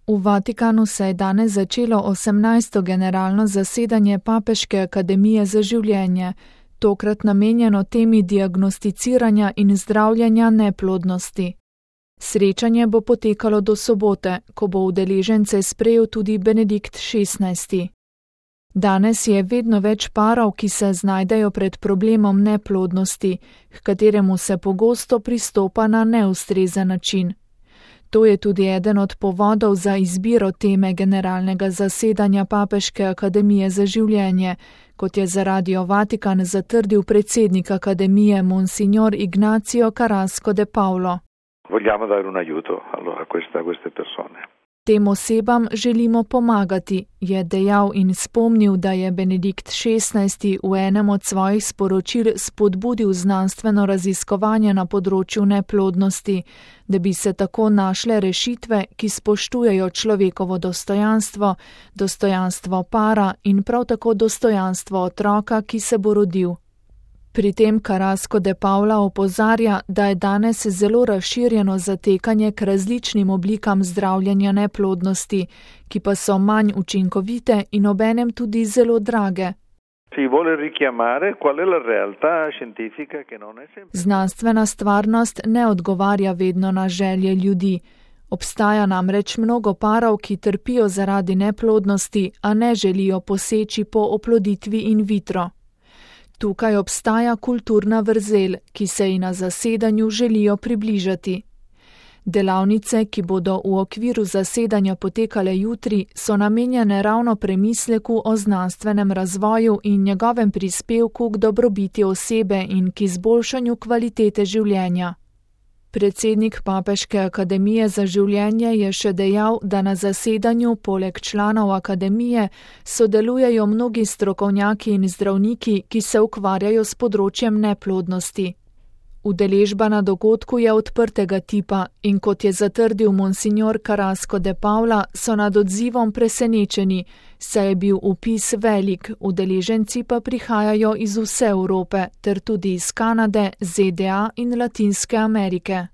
V Vatikanu se je danes začelo 18. generalno zasedanje Papeške akademije za življenje, tokrat namenjeno temi diagnosticiranja in zdravljenja neplodnosti. Srečanje bo potekalo do sobote, ko bo udeležence sprejel tudi Benedikt XVI. Danes je vedno več parov, ki se znajdejo pred problemom neplodnosti, h kateremu se pogosto pristopa na neustrezen način. To je tudi eden od povodov za izbiro teme generalnega zasedanja Papeške akademije za življenje, kot je za Radio Vatikan zatrdil predsednik akademije Monsignor Ignacio Carrasco de Paulo. Vogliamo dare un aiuto allora a queste persone. Tem osebam želimo pomagati, je dejal in spomnil, da je Benedikt XVI. V enem od svojih sporočil spodbudil znanstveno raziskovanje na področju neplodnosti, da bi se tako našle rešitve, ki spoštujejo človekovo dostojanstvo, dostojanstvo para in prav tako dostojanstvo otroka, ki se bo rodil. Pri tem Carrasco de Paula opozarja, da je danes zelo razširjeno zatekanje k različnim oblikam zdravljenja neplodnosti, ki pa so manj učinkovite in obenem tudi zelo drage. Znanstvena stvarnost ne odgovarja vedno na želje ljudi. Obstaja namreč mnogo parov, ki trpijo zaradi neplodnosti, a ne želijo poseči po oploditvi in vitro. Tukaj obstaja kulturna vrzel, ki se ji na zasedanju želijo približati. Delavnice, ki bodo v okviru zasedanja potekale jutri, so namenjene ravno premisleku o znanstvenem razvoju in njegovem prispevku k dobrobiti osebe in k izboljšanju kvalitete življenja. Predsednik Papeške akademije za življenje je še dejal, da na zasedanju poleg članov akademije sodelujejo mnogi strokovnjaki in zdravniki, ki se ukvarjajo s področjem neplodnosti. Udeležba na dogodku je odprtega tipa in kot je zatrdil Monsignor Carrasco de Paula, so nad odzivom presenečeni, saj je bil vpis velik, udeleženci pa prihajajo iz vse Evrope ter tudi iz Kanade, ZDA in Latinske Amerike.